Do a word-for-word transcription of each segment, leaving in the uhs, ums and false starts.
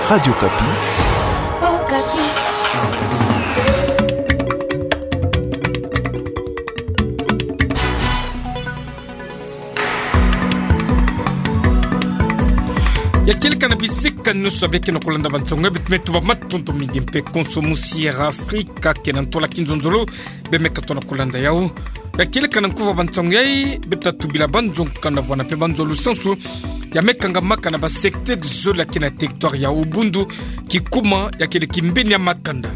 Radio Okapi. Ya kieleka na bisika nyonso bie kena kolanda bansangu ya, beto me tuba matondo mingi mpe konso musi Air Afrika kena ntwala kinzonzolo, bie me katoa na kolanda yau. Ya kieleka na nkufi bansangu yai, beto tatu bila banzonga na bwana mpe banzo lusansu ya me kangamaka na ba secteur zole ya kena territoire ya Ubundu, Kikuma, ya kele kimbeni ya makanda.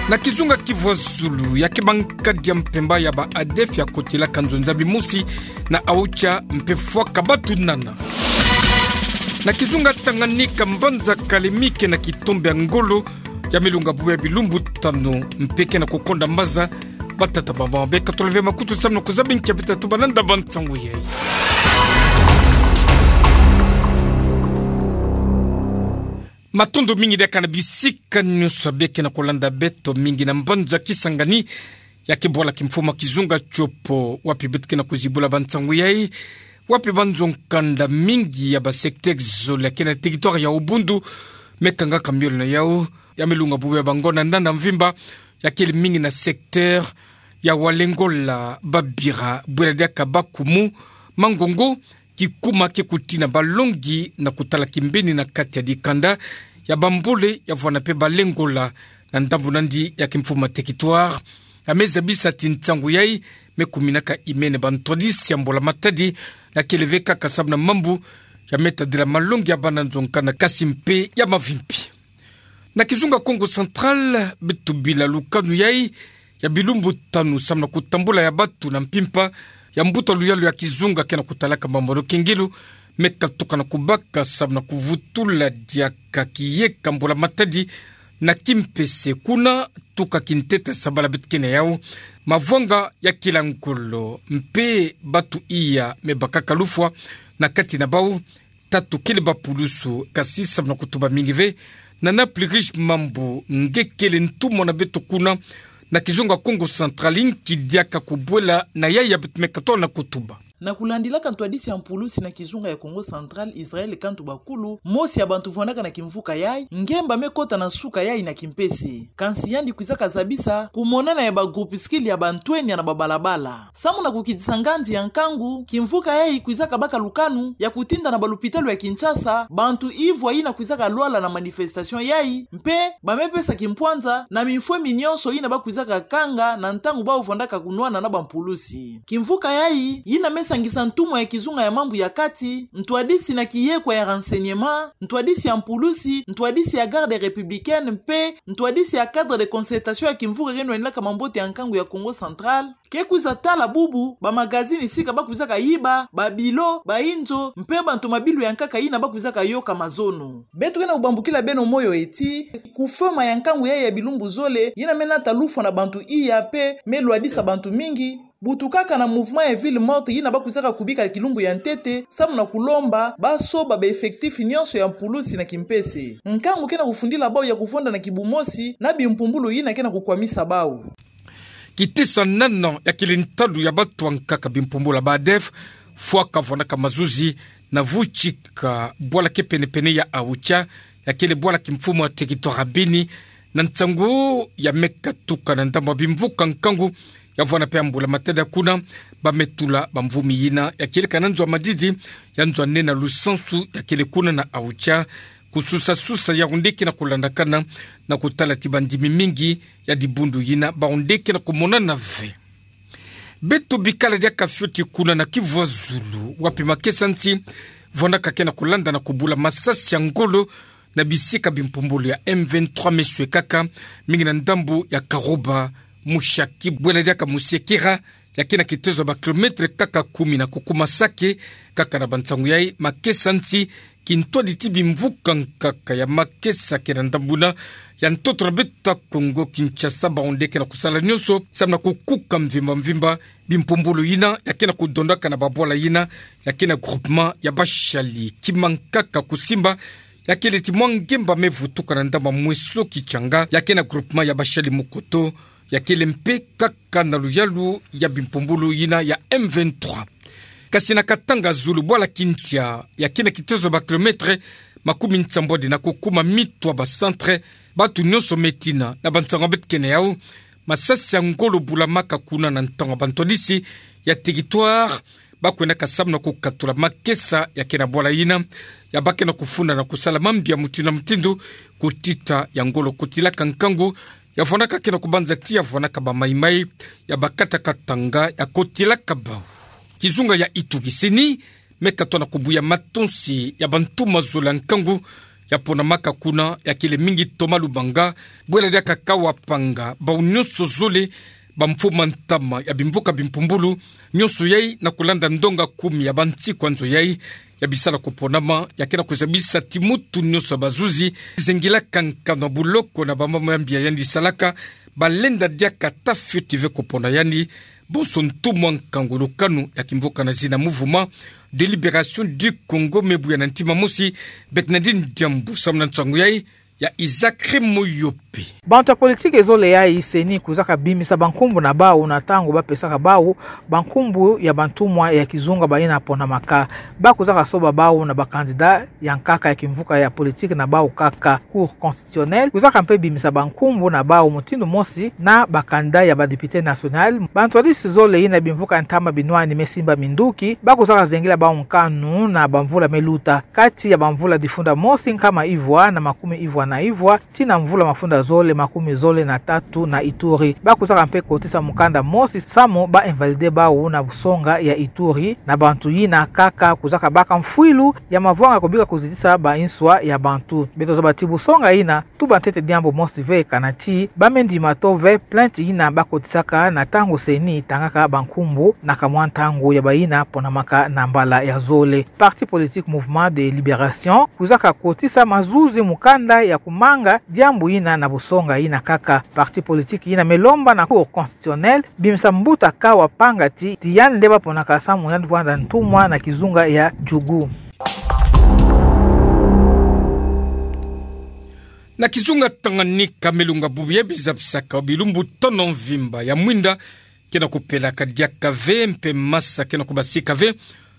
Na kizunga Kivu ya Zulu, ya ke bankadi ya mpemba ya ba ADF ya kotelaka nzo nza bimosi na Aocha mpe fwaka batu nana. Na kizunga Tanganyika, mbanza Kalemie kena kitombe ya ngolo, ya me lunga bubu ya bilumbu tanu mpe kena kukonda maza. Batata, bamama, beka toleve makutu samu na kuzaba nkia beto tatu balanda bansangu yai. Matondo mingi diaka na bisika nyonso bie kena kolanda beto, mingi na mbanza Kisangani, ya ke bwala kimfumu ya kizunga Tshopo, wapi beto kena kuzibula bansangu yai, wapi banzo nkanda mingi ya ba secteur zole ya kena territoire ya Ubundu me kangaka miole na yau, ya me lunga bubu ya bangonda nana mvimba, ya kele mingi na secteur ya Walengola, Babira, bwela diaka Bakumu, Mangongo, Kikuma ke kutina balongi na kutala kimbeni na kati ya dikanda ya Bambole, ya vwanda mpe Balengola, na ndambu nandi ya kimfumu ya territoire. Ya me zabisa ti nsangu yai me kuminaka imene bantwadisi ya mbula matadi, ya kele ve kaka samu na mambu ya me tadila malongi ya bana nzo nkanda, kasi mpe ya mavimpi. Na kizunga Kongo Central, beto bila lukanu yai ya bilumbu tanu samu na kutambula ya batu na mpimpa ya mbuta luyalu ya kizunga kena kutalaka mambu ya lukengelo, me katuka na kubaka samu na kuvutula diaka kiyeka mbula matadi na kimpese kuna tuka kintete sabala beto kena yau. Mavwanga ya kila ngolo mpe batu iya me bakaka lufwa na kati na bau. Tatu kele bapulusu, kasi samu na kutuba mingi ve, nana Plurish Mambu, nge kele ntumwa na beto kuna na kizunga Kongo Central, nki diaka kubwela na yai ya beto me katoa na kutuba. Na kulandilaka ntwadisi ya mpulusi na kizunga ya Kongo Central, Israël Kantu Bakulu, mosi ya bantu vwandaka na kimvuka yai, ngemba me kota na nsuka yai na kimpese. Kansi yandi kwizaka zabisa kumonana ya ba groupuscule ya bantwenya na babalabala. Samu na kukitisa nganzi ya nkangu, kimvuka yai kwizaka baka lukanu ya kutinda na balupitalu ya Kinshasa bantu ivwa yina kwizaka lwala na manifestation yai, mpe ba me pesa kimpwanza na mifwemi nyonso yina ba kwizaka kanga na ntangu bau vwandaka kunwana na bampulusi. Kimvuka yai, yina me sangisa ntumwa ya kizunga ya mambu ya kati, ntwadisi na kiyekwa ya renseignement, ntwadisi ya mpulusi, ntwadisi ya garde républicaine, mpe ntwadisi ya cadre de concertation ya kimvuka keno nwanilaka mambote ya nkangu ya Kongo Central, ke kwiza tala bubu bamagazini sika ba kwizaka yiba, babilo, bainzo, mpe bantu mabilu ya nkaka yina ba kwizaka yoka mazono. Beto kena kubambukila beno moyo ti kufwema ya nkangu yai ya bilumbu zole, yina me nata lufwa na bantu iya mpe me lwadisa bantu mingi, butukaka na mouvement ya ville morte yina ba kwizaka kubika kilumbu ya ntete, samu na kulomba ba soba ba effectif nyonso ya mpulusi na kimpese. Nkangu kena kufundila bau ya kuvonda na kibumosi na bimpumbulu yina kena kukwamisa bau. Kitesanana ya kele ntalu ya batu ya nkaka bimpumbulu ya ba ADF, fwaka vwandaka mazuzi na vutika bwala ke pene-pene ya Aocha, ya kele bwala kimfumu ya territoire ya Beni, na nsangu ya me katuka na ndambu ya bimvuka nkangu, ya vwanda mpe ya mbula matadi kuna, ba me tula bamvumi yina ya kieleka na nzo ya madidi, ya nzo ya nene ya lusansu ya kele kuna na Aocha, kususa-susa ya onde kena kulandakana, na kutala ti bandimi mingi ya dibundu yina ba onde kena kumonana ve. Beto bikala diaka fioti kuna na Kivu ya Zulu, wapi makesa nsi vwandaka kena kulanda na kubula masasi ya ngolo na bisika bimpumbulu ya M vingt-trois me swekaka, mingi na ndambu ya Karoba, Mushaki, bwela diaka Musekera, ya kena kitezo ya ba kilomètre kaka kumi na kukuma Sake, kaka na bansangu yai, makesa nsi kintwadi ti bimvuka nkaka ya makesa kena ndambu na ya ntoto na beto ya Kongo Kinshasa, ba onde kena kusala nyonso samu na kukuka mvimba-mvimba bimpumbulu yina ya kena kudondaka na babwala yina ya kena groupement ya Bashali. Kima nkaka kusimba ya kele ti mwa ngemba me vutuka na ndambu ya Mweso Kitshanga, ya kena groupement ya Bashali Mukoto, ya kele mpe kaka na luyalu ya bimpumbulu yina ya M vingt-trois. Kasi na Katanga Zulu, bwala Kintia, ya kena kitezo ya ba kilomètre Makumintsambwadi na kukuma mitwa ba centre, batu nyonso me tina na bansango beto kena yau. Masasi ya ngolo bulamaka kuna na ntango ya bantwadisi ya territoire, bakwendaka samu na kukatula makesa ya kena bwala yina, ya bakena kufunda na kusala mambi ya mutindu na mutindu, kutita ya ngolo kotilaka nkangu, ya vwanaka kena kubanza ti ya vwanaka ba maimai, ya bakataka tanga ya kotilaka bau. Kizunga ya Ituri, CENI me katwa na kubuya matonsi ya bantumwa zole ya nkangu ya ponamaka kuna, ya kele mingi Thomas Lubanga, bwela diaka kawa panga bau nyonso zole, bamfo ma ntama ya bimvuka bimpumbulu, nyonso yai na kulanda ndonga kumi ya bansiku ya nzo yai, ya bisala kuponama, ya kena kuzabisa ti mutu nyonso ya bazuzi zengilaka nkanu ya buloko na bamambu ya mbi ya yandi salaka, balenda diaka ata fioti ve kupona yandi. Bonso ntumwa nkangu lukanu ya kimvuka na zina Mouvement de Libération du Congo me buya na ntima mosi, Bernardine Diambu, samu na nsangu yai ya Isaac Remoyope. Bantu ya politiki zole yai CENI kwizaka bimisa bankumbu na bau na ntangu bapesaka bau bankumbu ya bantumwa ya kizunga bayina ponamaka. Bakwizaka soba bau na ba candidat ya nkaka ya kimvuka ya politiki na bau kaka. Cour constitutionnelle kwizaka mpe bimisa bankumbu na bau mutindu mosi na ba candidat ya ba député national. Bantwadisi zole yina bimvuka ntama binwani me simba minduki, bakwizaka zengila bau nkanu na bamvula me luta. Kati ya bamvula difunda mosi nkama ivwa na makumi ivwa na ivwa, tii na mvula mafunda zole makumi zole na tatu na Ituri, bakwizaka mpe kotisa mukanda mosi samu ba invalider bau na busonga ya Ituri, na bantu yina kaka kwizaka baka mfwilu ya mavwanga kubika kuzitisa ba nswa ya bantu. Beto zaba ti busonga yina tuba ntete diambu mosi ve, kana ti ba me ndima to ve plainte yina bakotisaka na ntangu CENI tangaka bankumbu na kamwa ntangu ya bayina ponamaka na mbala ya zole. Parti politique Mouvement de Libération kwizaka kotisa mazuzi mukanda ya kumanga diambu yina na busonga yina kaka. Parti politique yina me lomba na Cour constitutionnelle bimisa mbuta kawa panga ti, ti yandi nde baponaka samu yandi vwanda ntumwa na kizunga ya Djougou. Na kizunga Tanganyika, milunga bubu ya bizabisaka bilumbu tono mvimba ya mwinda kena kupelaka diaka ve mpe masa kena kubasika ve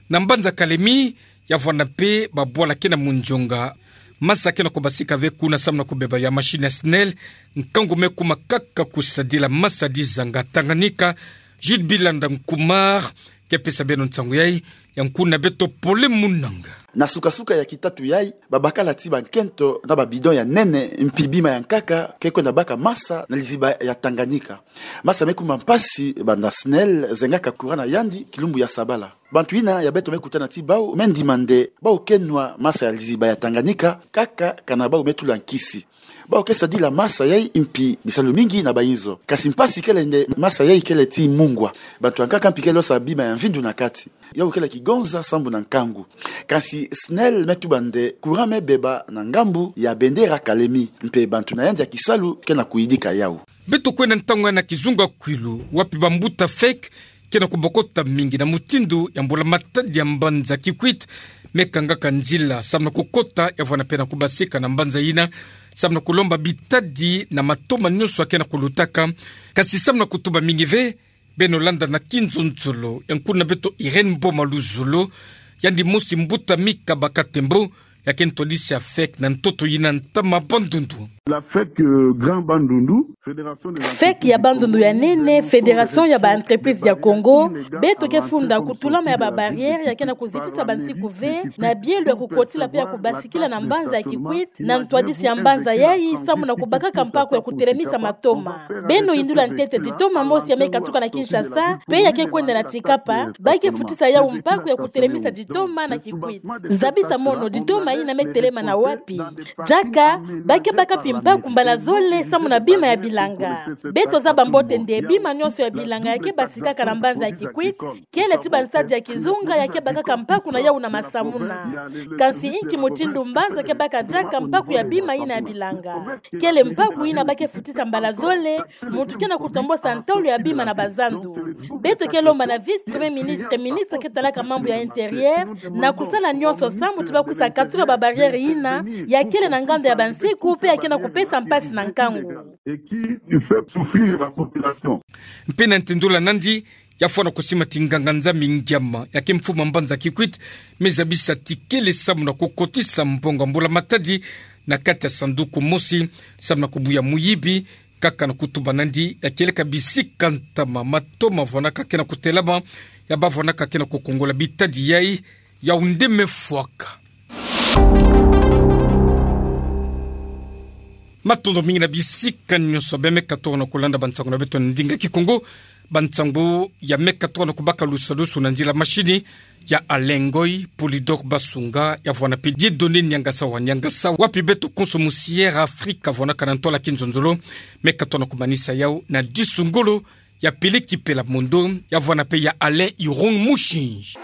na mbanza Kalemi, ya vwanda mpe babwala kena munzonga. Masa kena kubasika ve kuna samu na kubeba ya machine ya SNEL. Nkangu me kuma kaka kusadila masa dizanga Tanganyika. Jude Bilanda Nkumar ke pesa beno nsangu yai, ya nkuna beto Pole Munanga. Na sukasuka ya kitatu yai, babakala ti bankento na babidon ya nene mpi bima ya nkaka ke kwenda baka masa na liziba ya Tanganyika. Masa me kuma mpasi banda SNEL zengaka courant na yandi kilumbu ya sabala. Bantu yina ya beto me kutana ti bau me ndima nde bau ke nwa masa ya liziba ya Tanganyika kaka kana bau me tula nkisi. Bau ke sadila masa yai mpi bisalu mingi na bayinzo. Kasi mpasi kele nde masa yai kele ti mungwa. Bantu ya nkaka mpi kele losa bima ya mvindu na kati. Yau kele kigonza sambu na nkangu. Kasi SNEL me tuba nde courant me beba na ngambu ya bendera Kalemi. Mpe bantu na yandi ya kisalu kena kuyidika yau. Beto kwenda ntangu ya na kizunga Kwilu, wapi bambuta FEC kena kubokota mingi na mutindu ya mbula matadi ya mbanza Kikwit me kangaka nzila samu na kukota, ya vwanda mpe na kubasika na mbanza yina samu na kulomba bitadi na matoma nyonso ya kena kulutaka. Kasi samu na kutuba mingi ve, beno landa na kinzonzolo ya nkuna beto Irène Boma Luzolo, yandi mosi mbuta Mika Bakatembo, ya ke ntwadisi ya FEC na ntoto yina ntama Bandundu. La FEC, euh, Grand Bandundu, Fédération des FEC ya Bandundu ya nene, Fédération ya ba entreprise ya Congo, beto ke funda kutulama ya ba barrière ya kena kuzitisa bansiku ve na bielo ya kukotila mpe ya kubasikila na mbanza ya Kikwit, na ntwadisi ya mbanza yai samu na kubakaka mpaku ya kutelemisa matoma. Beno yindula ntete ti toma mosi ya me katuka na Kinshasa, mpe ya ke kwenda na Tsikapa, ba ke futisa yau mpaku ya kutelemisa ditoma na Kikwit. Zabisa mono, ditoma yina me telema na wapi? Diaka, ba ke baka mpi mpaku mbala zole samu na bima ya bilanga. Beto zaba mbote nde bima nyonso ya bilanga ya ke basikaka na mbanza ya Kikwit kele ti bansadi ya kizunga ya ke bakaka mpaku na yau na masamuna. Kasi inki mutindu mbanza ke baka diaka mpaku ya bima yina ya bilanga? Kele mpaku yina ba ke futisa mbala zole, muntu kena kutombosa ntolo ya bima na bazandu. Beto ke lomba na vice-premier ministre, ministre ke talaka mambu ya intérieur, na kusala nyonso sambu ti ba kwisa katula ba barrière yina ya kele na nganda ya bansiku mpe ya kena kupesa mpasi na nkangu. Et qui fait souffrir la population. Mpe na ntindula nandi, ya fwana kusimbati nganga-nzambi ngiama ya ke mfuma mbanza kikwit, me zabisa tikele samu na kukotisa mbongo ya mbula matadi na kati ya sanduku mosi, samu na kubuya muyibi, kaka na kutuba nandi ya kieleka bisika ntama matoma vwanaka ke na kutelama, ya ba vwanaka ke na kukongola bitadi yai, ya onde me fwaka. Matondo mingi na bisika nyonso bia me katuka na kulanda bansangu na beto na ndinga Kikongo. Bansangu ya me katuka na kubaka lusadusu na nzila mashini ya Alain Ngoy, Polydor Basunga, ya vwana pe Dieudonné Niangasa wa Niangasa, wapi beto konso mu Sierra Africa vwanaka na ntwala kinzonzolo, me katuka na kumanisa yau na disu ngolo ya Peleki Pela Mondo, ya vwana pe ya Alain Irung Mushinji.